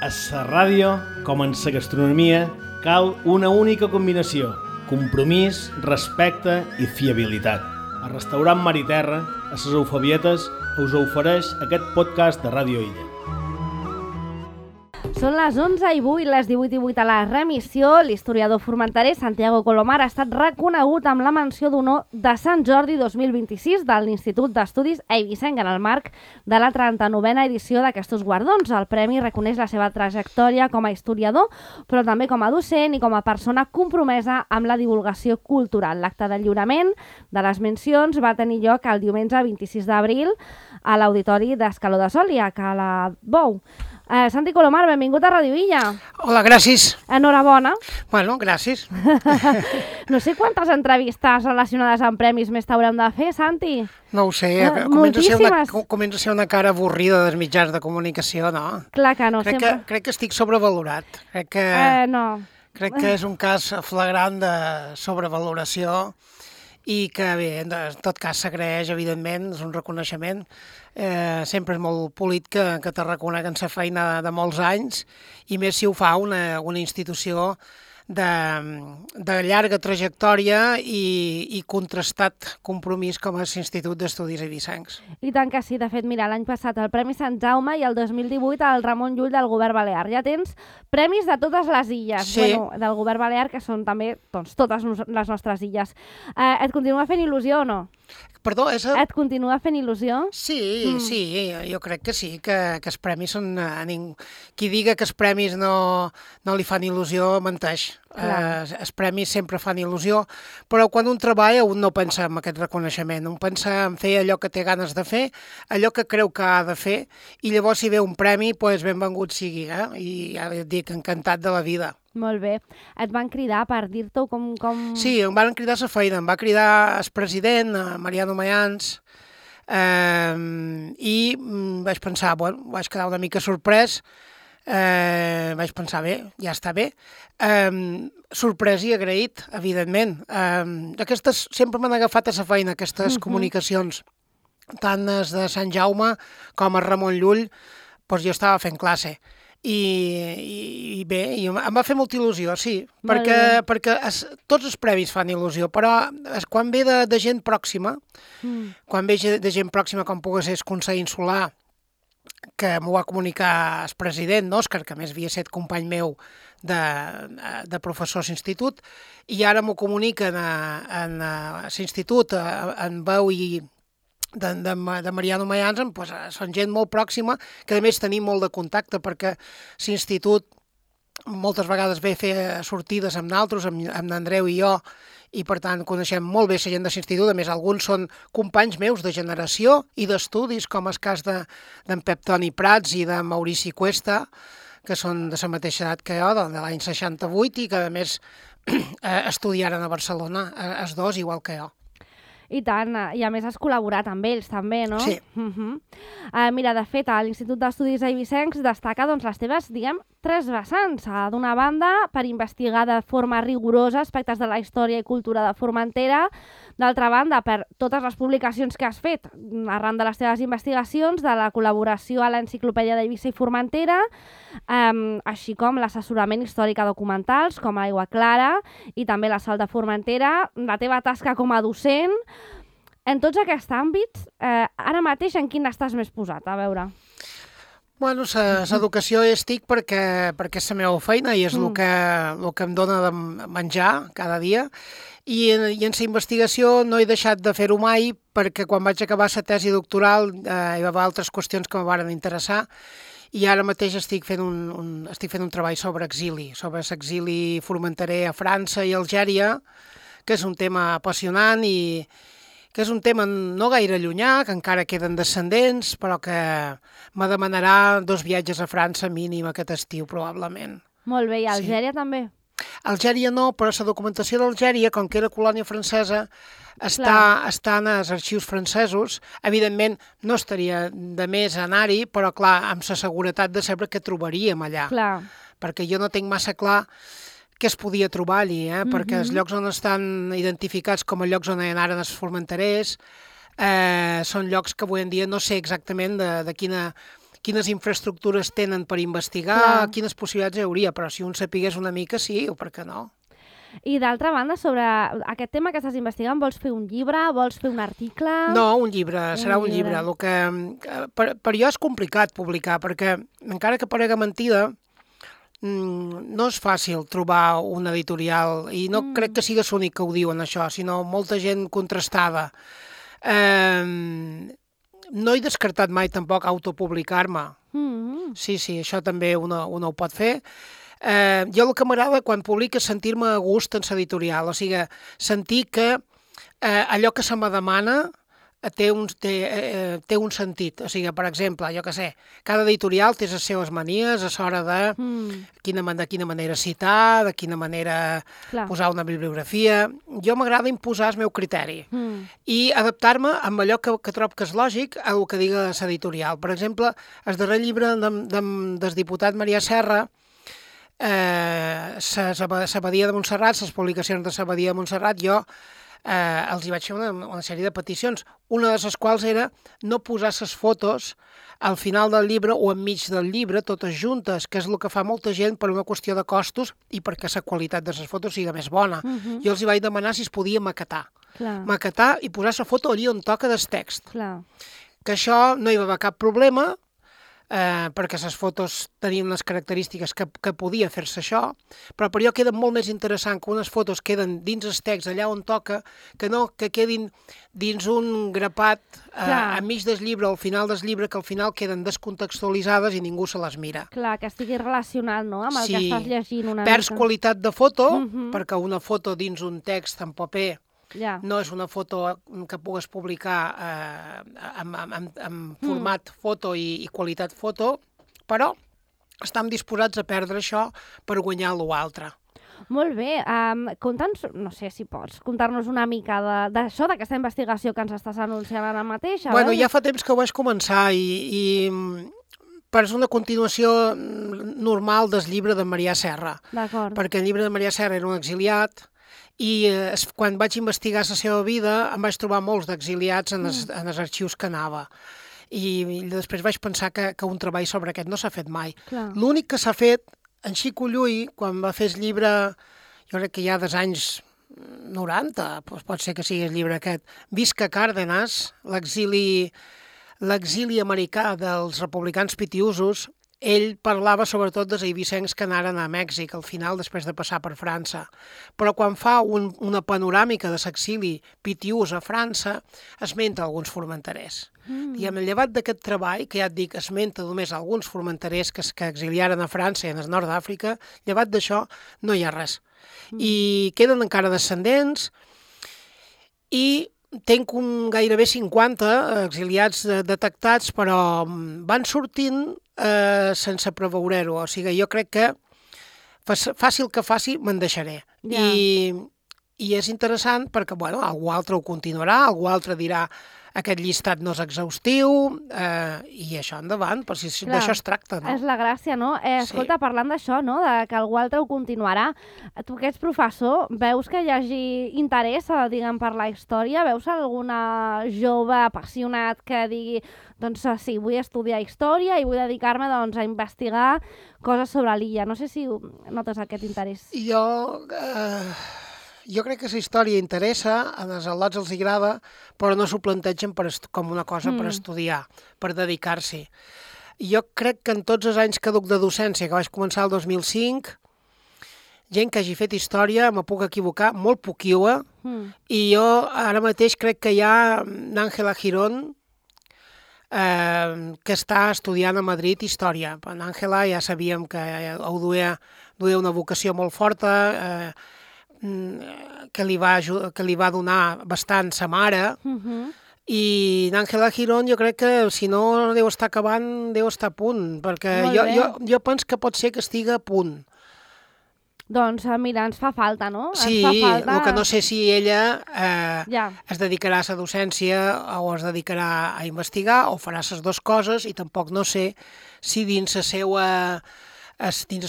A la ràdio, com en la gastronomia, cal una única combinació: compromís, respecte i fiabilitat. El restaurant Mar i Terra, a les Eufebietes, us ofereix aquest podcast de Ràdio Illa. Són les 11:08, les 18:08 a la remissió. L'historiador formenterè Santiago Colomar ha estat reconegut amb la menció d'honor de Sant Jordi 2026 de l'Institut d'Estudis Eivissenc en el marc de la 39a edició d'aquests guardons. El premi reconeix la seva trajectòria com a historiador, però també com a docent i com a persona compromesa amb la divulgació cultural. L'acte de lliurament de les mencions va tenir lloc el diumenge 26 d'abril a l'Auditori d'Escaló de Sòlia, a Cala Bou. Santi Colomar, benvingut a Ràdio Illa. Hola, gràcies. Enhorabona. Bueno, gràcies. No sé quantes entrevistes relacionades amb premis més t'haurem de fer, Santi. No ho sé, comença a ser una cara avorrida dels mitjans de comunicació, no? Clar que no, sempre. Crec que estic sobrevalorat. No. Crec que és un cas flagrant de sobrevaloració i que, bé, en tot cas s'agraeix, evidentment, és un reconeixement. Sempre és molt polit que te reconeguen la feina de molts anys, i més si ho fa una institució de llarga trajectòria i contrastat compromís com és l'Institut d'Estudis Eivissencs. I tant que sí. De fet, mira, l'any passat el Premi Sant Jaume i el 2018 el Ramon Llull del Govern Balear. Ja tens premis de totes les illes, sí. Del Govern Balear, que són també totes les nostres illes. Et continua fent il·lusió o no? Perdó, Et continua fent il·lusió? Sí, jo crec que sí, que els premis són... Qui diga que els premis no li fan il·lusió, menteix. Els premis sempre fan il·lusió, però quan un treballa un no pensa en aquest reconeixement, un pensa en fer allò que té ganes de fer, allò que creu que ha de fer, i llavors si ve un premi, doncs benvingut sigui, i ja et dic, encantat de la vida. Molt bé. Et van cridar per dir-t'ho com... Sí, em van cridar a la feina, em va cridar el president, Mariano Mayans, i vaig pensar, vaig quedar una mica sorprès, vaig pensar, bé, ja està bé. Sorprès i agraït, evidentment. Sempre m'han agafat a la feina, aquestes comunicacions, tant les de Sant Jaume com a Ramon Llull, doncs jo estava fent classe. I bé, em va fer molta il·lusió, sí, perquè tots els premis fan il·lusió, però quan ve de gent pròxima, quan ve de gent pròxima com pugui ser el Consell Insular, que m'ho va comunicar el president, Òscar, que a més havia estat company meu de professor a l'institut, i ara m'ho comuniquen a l'institut en veu i de Mariano Mayans, doncs són gent molt pròxima, que a més tenim molt de contacte, perquè l'institut moltes vegades ve a fer sortides amb nosaltres, amb l'Andreu i jo, i per tant coneixem molt bé la gent de l'institut. A més, alguns són companys meus de generació i d'estudis, com el cas d'en Pep Toni Prats i de Maurici Cuesta, que són de la mateixa edat que jo, de l'any 68, i que a més estudiaren a Barcelona, els dos, igual que jo. I tant, i a més has col·laborat amb ells també, no? Sí. Mira, de fet, a l'Institut d'Estudis Eivissencs destaca les teves, tres vessants. D'una banda, per investigar de forma rigorosa aspectes de la història i cultura de Formentera. D'altra banda, per totes les publicacions que has fet arran de les teves investigacions, de la col·laboració a l'Enciclopèdia d'Eivissa i Formentera, així com l'assessorament històric a documentals, com Aigua Clara, i també la Sal de Formentera, la teva tasca com a docent. En tots aquests àmbits, ara mateix en quin estàs més posat? A veure... Bueno, l'educació hi estic perquè és la meva feina i és el que em dona de menjar cada dia. I en la investigació no he deixat de fer-ho mai, perquè quan vaig acabar la tesi doctoral hi va haver altres qüestions que em van interessar, i ara mateix estic fent un treball sobre exili, sobre l'exili formenterè a França i Algèria, que és un tema apassionant i que és un tema no gaire llunyà, que encara queden descendents, però que me demanarà 2 viatges a França mínim aquest estiu, probablement. Molt bé, i Algèria també? Algèria no, però la documentació d'Algèria, com que era colònia francesa, està en els arxius francesos. Evidentment, no estaria de més anar-hi, però clar, amb la seguretat de saber què trobaríem allà. Clar. Perquè jo no tinc massa clar què es podia trobar allí, perquè els llocs on estan identificats com a llocs on hi anaren els formenterers són llocs que avui en dia no sé exactament de quina quines infraestructures tenen per investigar, Clar. quines possibilitats hi hauria, però si un sapigués una mica, sí, o per què no? I d'altra banda, sobre aquest tema que estàs investigant, vols fer un llibre, vols fer un article? No, un llibre, serà un llibre. llibre. El que, per jo és complicat publicar, perquè encara que parega mentida, no és fàcil trobar un editorial, i no crec que sigui l'únic que ho diuen això, sinó molta gent contrastada. No he descartat mai tampoc autopublicar-me. Sí, això també uno ho pot fer. Jo el que m'agrada quan publico és sentir-me a gust en l'editorial, o sigui, sentir que allò que se me demana té un sentit. O sigui, per exemple, jo què sé, cada editorial té les seves manies a l'hora de quina manera citar, de quina manera posar una bibliografia. Jo m'agrada imposar el meu criteri i adaptar-me amb allò que trobo que és lògic al que diga l'editorial. Per exemple, el darrer llibre del diputat Maria Serra, S'Abadia de Montserrat, les publicacions de S'Abadia de Montserrat, jo els hi vaig fer una sèrie de peticions, una de les quals era no posar les fotos al final del llibre o enmig del llibre, totes juntes, que és el que fa molta gent per una qüestió de costos i perquè la qualitat de les fotos sigui més bona. Jo els hi vaig demanar si es podia maquetar. Maquetar i posar la foto allí on toca del text. Que això no hi va haver cap problema, perquè les fotos tenien les característiques que podia fer-se això, però per jo queda molt més interessant que unes fotos queden dins el text, allà on toca, que no que quedin dins un grapat enmig del llibre, al final del llibre, que al final queden descontextualitzades i ningú se les mira. Clar, que estigui relacionat, no?, amb el que estàs llegint una mica. Perds qualitat de foto, perquè una foto dins un text en paper no és una foto que pugues publicar en format foto i qualitat foto, però estem disposats a perdre això per guanyar l'altre. Molt bé. Conta'ns, no sé si pots contar-nos una mica d'això, d'aquesta investigació que ens estàs anunciant ara mateix. Bueno, ja fa temps que ho vaig començar i és una continuació normal del llibre de Maria Serra. D'acord. Perquè el llibre de Maria Serra era un exiliat, i quan vaig investigar la seva vida em vaig trobar molts d'exiliats en els arxius que anava. I després vaig pensar que un treball sobre aquest no s'ha fet mai. L'únic que s'ha fet, en Xico Llull, quan va fer el llibre, jo crec que ja dels anys 90, doncs pot ser que sigui el llibre aquest, Visca Cárdenas, l'exili americà dels republicans pitiusos, ell parlava sobretot dels eivissencs que anaren a Mèxic al final després de passar per França. Però quan fa una panoràmica de l'exili pitiús a França, esmenta alguns formenterers. Llevat d'aquest treball, que ja et dic, esmenta només alguns formenterers que exiliaren a França i en el nord d'Àfrica, llevat d'això no hi ha res. I queden encara descendents i tenc gairebé 50 exiliats detectats, però van sortint sense preveure-ho. O sigui, jo crec que faci el que faci, me'n deixaré. I és interessant perquè, bueno, algú altre ho continuarà, algú altre dirà aquest llistat no és exhaustiu, i això endavant, però si d'això es tracta, no? És la gràcia, no? Escolta, parlant d'això, no?, de que algú altre ho continuarà, tu que ets professor, veus que hi hagi interès, diguem, per la història? Veus alguna jove apassionat que digui, doncs sí, vull estudiar història i vull dedicar-me, doncs, a investigar coses sobre l'illa? No sé si notes aquest interès. Jo crec que la història interessa, als al·lots els agrada, però no s'ho plantegen com una cosa per estudiar, per dedicar-s'hi. Jo crec que en tots els anys que duc de docència, que vaig començar el 2005, gent que hagi fet història, me puc equivocar, molt poquiua, i jo ara mateix crec que hi ha Ángela Girón, que està estudiant a Madrid història. Ángela ja sabíem que duia una vocació molt forta, que li va donar bastant sa mare, i Ángela Girón jo crec que si no deu estar acabant, deu estar a punt, perquè jo penso que pot ser que estigui a punt. Doncs mira, ens fa falta, no? Sí, el que no sé si ella es dedicarà a la docència o es dedicarà a investigar o farà les dues coses, i tampoc no sé si dins el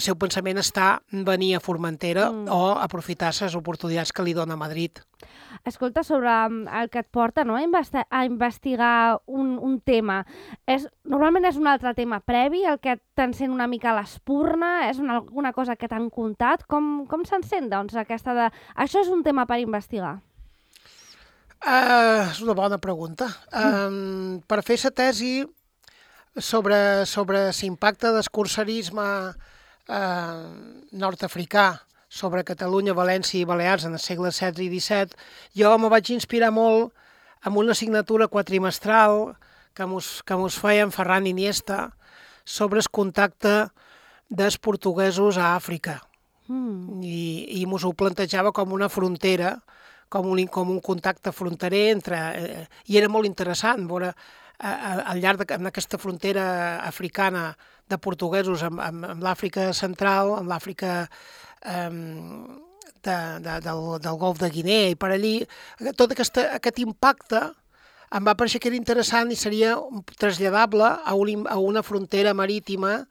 seu pensament està venir a Formentera o aprofitar les oportunitats que li dona Madrid. Escolta, sobre el que et porta, no?, a investigar un tema, normalment és un altre tema previ, el que t'encén una mica l'espurna, és alguna cosa que t'han contat? Com s'encén, doncs, aquesta de... Això és un tema per investigar? És una bona pregunta. Per fer la tesi sobre l'impacte del cursarisme nord-africà sobre Catalunya, València i Balears en el segle XVI i XVII, jo me vaig inspirar molt amb una assignatura quatrimestral que mos feien Ferran Iniesta sobre el contacte dels portuguesos a Àfrica. I mos ho plantejava com una frontera, com un contacte fronterer i era molt interessant veure al llarg d'aquesta frontera africana de portuguesos amb l'Àfrica central, amb l'Àfrica del Golf de Guinea i per allí, tot aquest impacte em va pareixer que era interessant i seria traslladable a una frontera marítima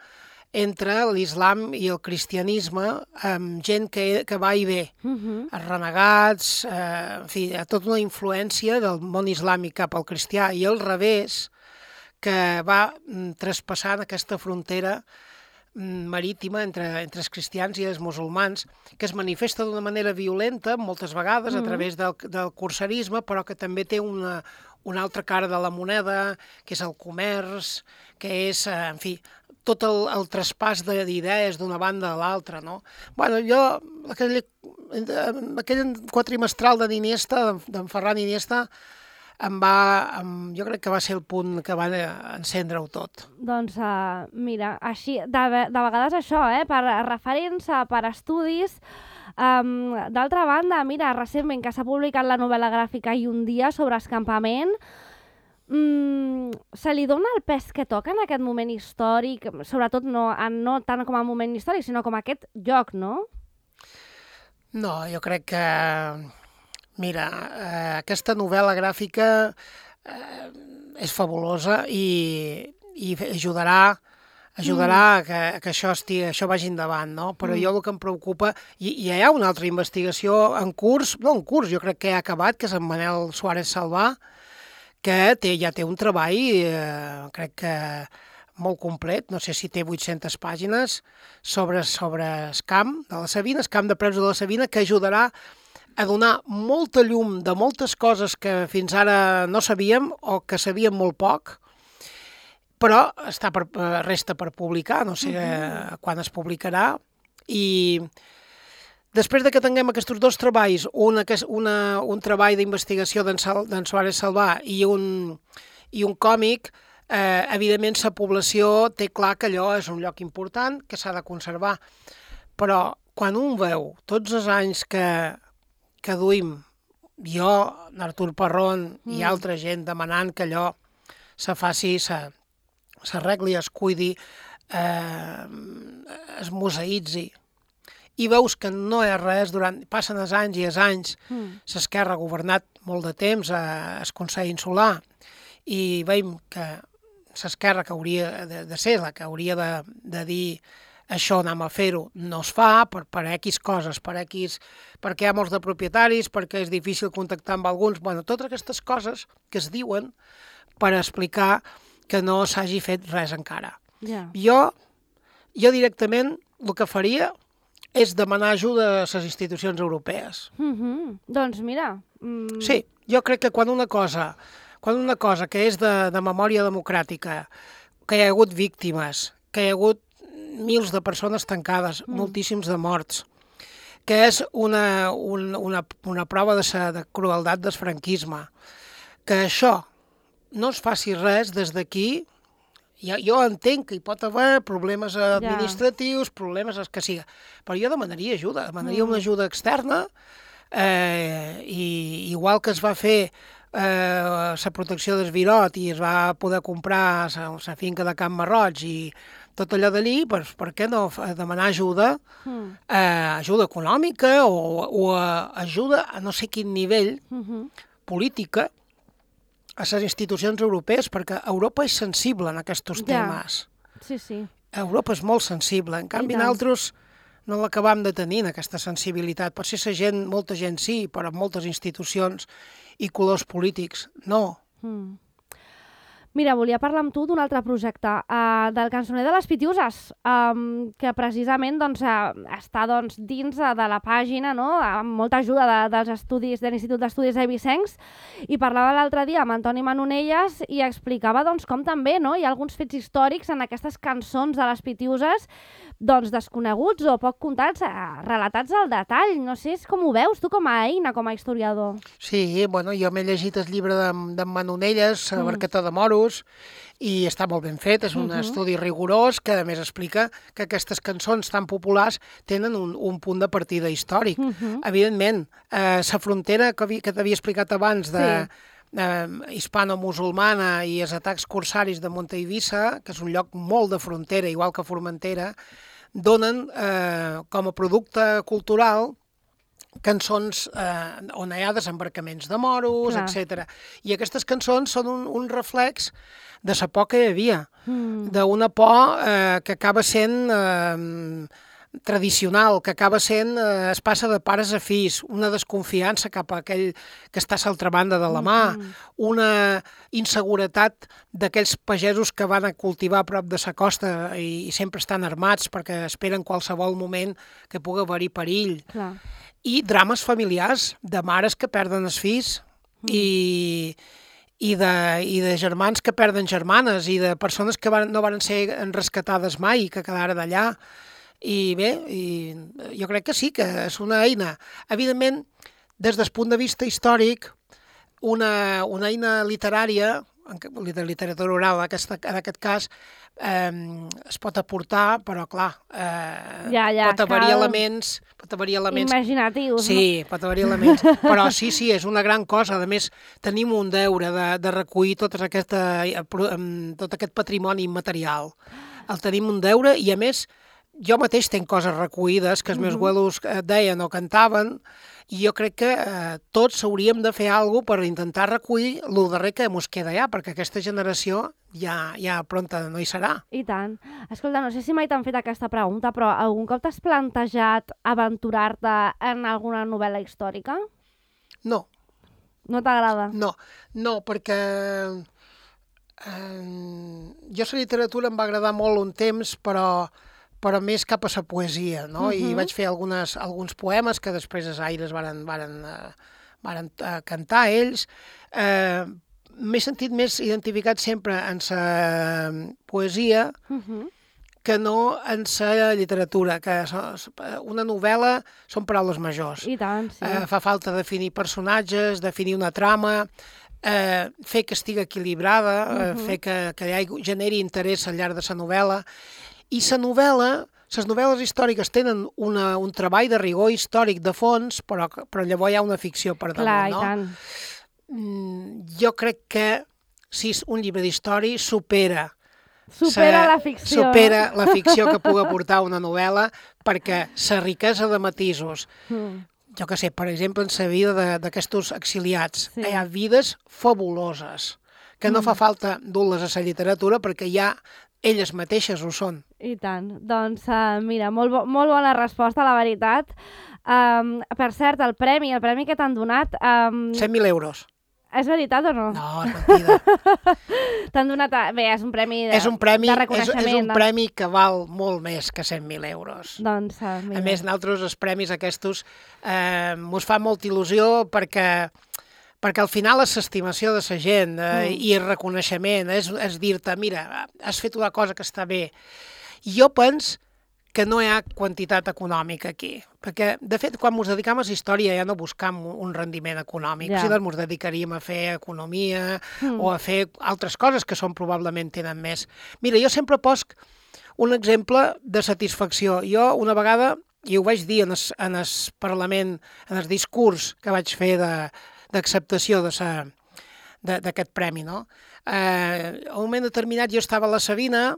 entre l'islam i el cristianisme, amb gent que va i ve, els renegats, en fi, tota una influència del món islàmic cap al cristià i al revés, que va traspassant aquesta frontera marítima entre els cristians i els musulmans, que es manifesta d'una manera violenta moltes vegades a través del cursarisme, però que també té una altra cara de la moneda, que és el comerç, que és, en fi, tot el traspàs d'idees d'una banda a l'altra, no? Bueno, jo, aquell quatrimestral d'en Ferran Iniesta, jo crec que va ser el punt que va encendre-ho tot. Doncs mira, així, de vegades això, per referents, per estudis. D'altra banda, mira, recentment que s'ha publicat la novel·la gràfica I un dia sobre escampament, se li dona el pes que toca en aquest moment històric, sobretot no tant com a moment històric, sinó com a aquest lloc, no? No, jo crec que... Mira, aquesta novel·la gràfica és fabulosa i ajudarà que això vagi endavant, no? Però jo el que em preocupa... I hi ha una altra investigació en curs, jo crec que ja ha acabat, que és en Manel Suárez Salvà, que ja té un treball, crec que molt complet, no sé si té 800 pàgines, sobre el camp de la Savina, el camp de preus de la Savina, que ajudarà a donar molta llum de moltes coses que fins ara no sabíem o que sabíem molt poc, però resta per publicar, no sé quan es publicarà, i després que tinguem aquests dos treballs, un treball d'investigació d'en Suárez Salvà i un còmic, evidentment la població té clar que allò és un lloc important, que s'ha de conservar, però quan un veu tots els anys que duim, jo, Artur Parrón i altra gent demanant que allò se faci, s'arregli, es cuidi, es museïtzi, i veus que no hi ha res, passen els anys i els anys, l'Esquerra ha governat molt de temps al Consell Insular, i veiem que l'Esquerra, que hauria de ser la que hauria de dir això anem a fer-ho, no es fa per X coses, perquè hi ha molts de propietaris, perquè és difícil contactar amb alguns, bueno, totes aquestes coses que es diuen per explicar que no s'hagi fet res encara. Jo directament el que faria és demanar ajuda a les institucions europees. Doncs mira... Sí, jo crec que quan una cosa que és de memòria democràtica, que hi ha hagut víctimes, que hi ha hagut mils de persones tancades, moltíssims de morts, que és una prova de crueltat del franquisme, que això no es faci res des d'aquí. Jo entenc que hi pot haver problemes administratius, problemes els que siga, però jo demanaria ajuda, una ajuda externa, i igual que es va fer la protecció del Virot i es va poder comprar la finca de Can Marroig i tot allò d'allí, per què no demanar ajuda, ajuda econòmica o ajuda a no sé quin nivell política a les institucions europees, perquè Europa és sensible en aquests temes. Sí. Europa és molt sensible. En canvi, nosaltres no l'acabam de tenir, aquesta sensibilitat. Potser molta gent sí, però moltes institucions i colors polítics no. Mira, volia parlar amb tu d'un altre projecte, del Cançoner de les Pitiuses, que precisament està dins de la pàgina, no? Amb molta ajuda dels estudis de l'Institut d'Estudis Eivissencs, i parlava l'altre dia amb Antoni Manonelles i explicava com també hi ha alguns fets històrics en aquestes cançons de les Pitiuses desconeguts o poc contats, relatats al detall. No sé com ho veus tu com a eina, com a historiador. Sí, bueno, jo m'he llegit el llibre d'en Manonelles, Barqueta de Moros, i està molt ben fet, és un estudi rigorós que a més explica que aquestes cançons tan populars tenen un punt de partida històric. Evidentment, la frontera que t'havia explicat abans de hispano-musulmana i els atacs corsaris de Monte Eivissa, que és un lloc molt de frontera, igual que Formentera, donen com a producte cultural cançons on hi ha desembarcaments de moros, etc. I aquestes cançons són un reflex de la por que hi havia, d'una por que acaba sent tradicional, que acaba sent, es passa de pares a fills, una desconfiança cap a aquell que està a l'altra banda de la mà, una inseguretat d'aquells pagesos que van a cultivar a prop de la costa i sempre estan armats perquè esperen qualsevol moment que pugui haver-hi perill. I drames familiars, de mares que perden els fills i de germans que perden germanes i de persones que no van ser rescatades mai i que quedaren allà. I bé, jo crec que sí, que és una eina. Evidentment, des del punt de vista històric, una eina literària, de literatura oral en aquest cas, es pot aportar, però clar, pot haver-hi elements... imaginatius. Sí, pot haver-hi elements. Però sí, és una gran cosa. A més, tenim un deure de recollir tot aquest patrimoni immaterial. El tenim un deure i, a més, jo mateix tenc coses recollides que els meus abuelos deien o cantaven i jo crec que tots hauríem de fer alguna cosa per intentar recollir el darrer que mos queda allà, perquè aquesta generació ja pronta no hi serà. I tant. Escolta, no sé si mai t'han fet aquesta pregunta, però algun cop t'has plantejat aventurar-te en alguna novel·la històrica? No. No t'agrada? No, perquè jo la literatura em va agradar molt un temps, però més cap a la poesia, no? I vaig fer alguns poemes que després els Aires varen cantar ells. M'he sentit més identificat sempre en la poesia que no en la literatura, que una novel·la són paraules majors. I tant, sí. Fa falta definir personatges, definir una trama, fer que estigui equilibrada, fer que generi interès al llarg de la novel·la. I les novel·les històriques tenen un treball de rigor històric de fons, però llavors hi ha una ficció per damunt, no? Clar, i tant. Jo crec que si un llibre d'història supera la ficció. Supera la ficció que pugui aportar una novel·la, perquè la riquesa de matisos, jo que sé, per exemple, en la vida d'aquests exiliats, hi ha vides fabuloses, que no fa falta dur-les a la literatura perquè ja elles mateixes ho són. I tant. Doncs, mira, molt bona resposta, la veritat. Per cert, el premi que t'han donat... 100.000 euros. És veritat o no? No, és mentida. T'han donat... Bé, és un premi de reconeixement. És un premi que val molt més que 100.000 euros. Doncs, mira. A més, nosaltres els premis aquests mos fa molta il·lusió perquè al final és l'estimació de la gent i el reconeixement, és dir-te, mira, has fet una cosa que està bé. Jo penso que no hi ha quantitat econòmica aquí, perquè, de fet, quan ens dedicam a la història ja no buscam un rendiment econòmic, si ens dedicaríem a fer economia o a fer altres coses que probablement tenen més. Mira, jo sempre poso un exemple de satisfacció. Jo una vegada, i ho vaig dir en el Parlament, en el discurs que vaig fer d'acceptació d'aquest premi, no? A un moment determinat jo estava a la Sabina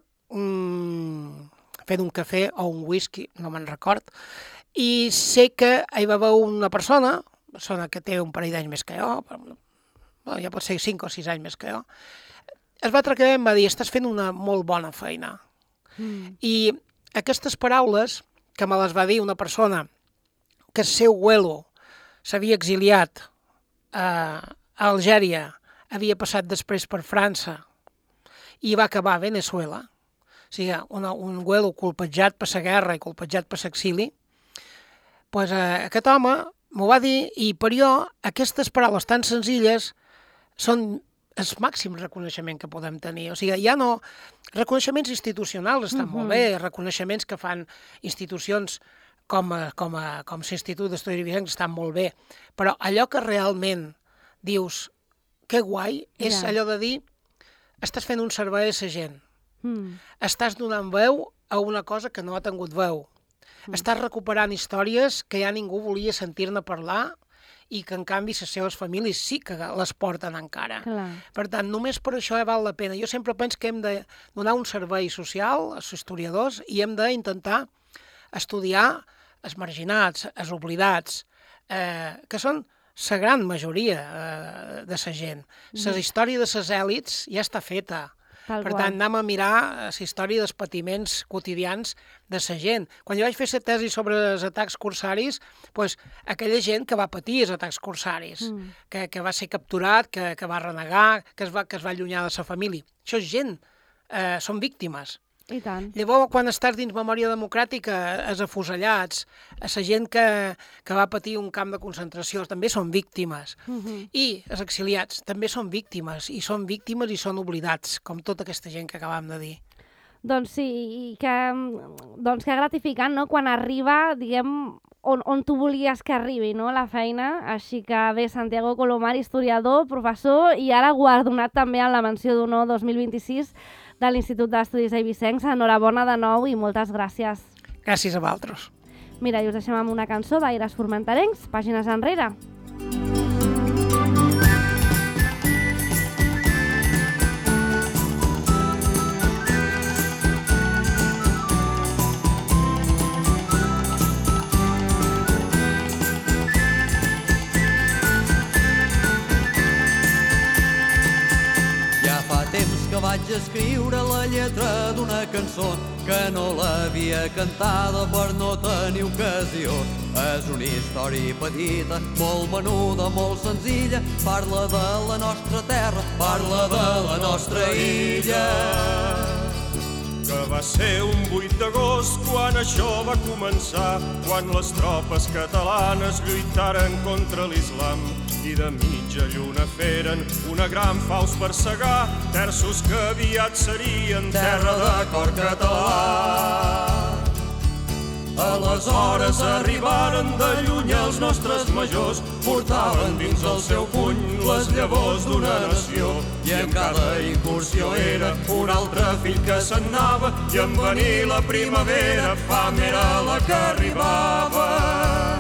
fent un cafè o un whisky, no me'n record, i sé que hi va haver una persona que té un parell d'anys més que jo, ja pot ser 5 o 6 anys més que jo, es va atracar i em va dir, estàs fent una molt bona feina. I aquestes paraules que me les va dir una persona que el seu abuelo s'havia exiliat a Algèria, havia passat després per França i va acabar a Venezuela, o sigui, un abuelo colpejat per la guerra i colpejat per l'exili, doncs aquest home m'ho va dir i per jo aquestes paraules tan senzilles són el màxim reconeixement que podem tenir. O sigui, ja no... Reconeixements institucionals estan molt bé, reconeixements que fan institucions com l'Institut d'Estudis Eivissencs estan molt bé, però allò que realment dius que guai és allò de dir estàs fent un servei a la gent, estàs donant veu a una cosa que no ha tingut veu, estàs recuperant històries que ja ningú volia sentir-ne parlar i que en canvi les seves famílies sí que les porten encara. Clar. Per tant, només per això val la pena. Jo sempre penso que hem de donar un servei social als historiadors i hem d'intentar estudiar els marginats, els oblidats, que són la gran majoria de la gent. La història de les èlits ja està feta. Per tant, anem a mirar la història dels patiments quotidians de la gent. Quan jo vaig fer la tesi sobre els atacs corsaris, doncs, aquella gent que va patir els atacs corsaris, que va ser capturat, que va renegar, que es va allunyar de la família. Això és gent, són víctimes. I tant. Llavors, quan estàs dins memòria democràtica, els afusellats, la gent que va patir un camp de concentració, també són víctimes. I els exiliats també són víctimes, i són oblidats, com tota aquesta gent que acabam de dir. Doncs sí, i que gratificant, no?, quan arriba, diguem, on tu volies que arribi, no?, la feina. Així que bé, Santiago Colomar, historiador, professor, i ara guardonat també en la menció d'honor 2026 de l'Institut d'Estudis Eivissencs. Enhorabona de nou i moltes gràcies. Gràcies a vosaltres. Mira, i us deixem amb una cançó d'Aires Formenterencs, Pàgines enrere. Vaig escriure la lletra d'una cançó que no l'havia cantada per no tenir ocasió. És una història petita, molt menuda, molt senzilla, parla de la nostra terra, parla de la nostra illa. Que va ser un 8 d'agost quan això va començar, quan les tropes catalanes lluitaren contra l'islam i de mitja lluna feren una gran faus per segar terços que aviat serien terra de cor català. Aleshores arribaren de lluny els nostres majors, portaven dins el seu puny les llavors d'una nació, i en cada incursió era un altre fill que se'n anava, i en venir la primavera fam era la que arribava.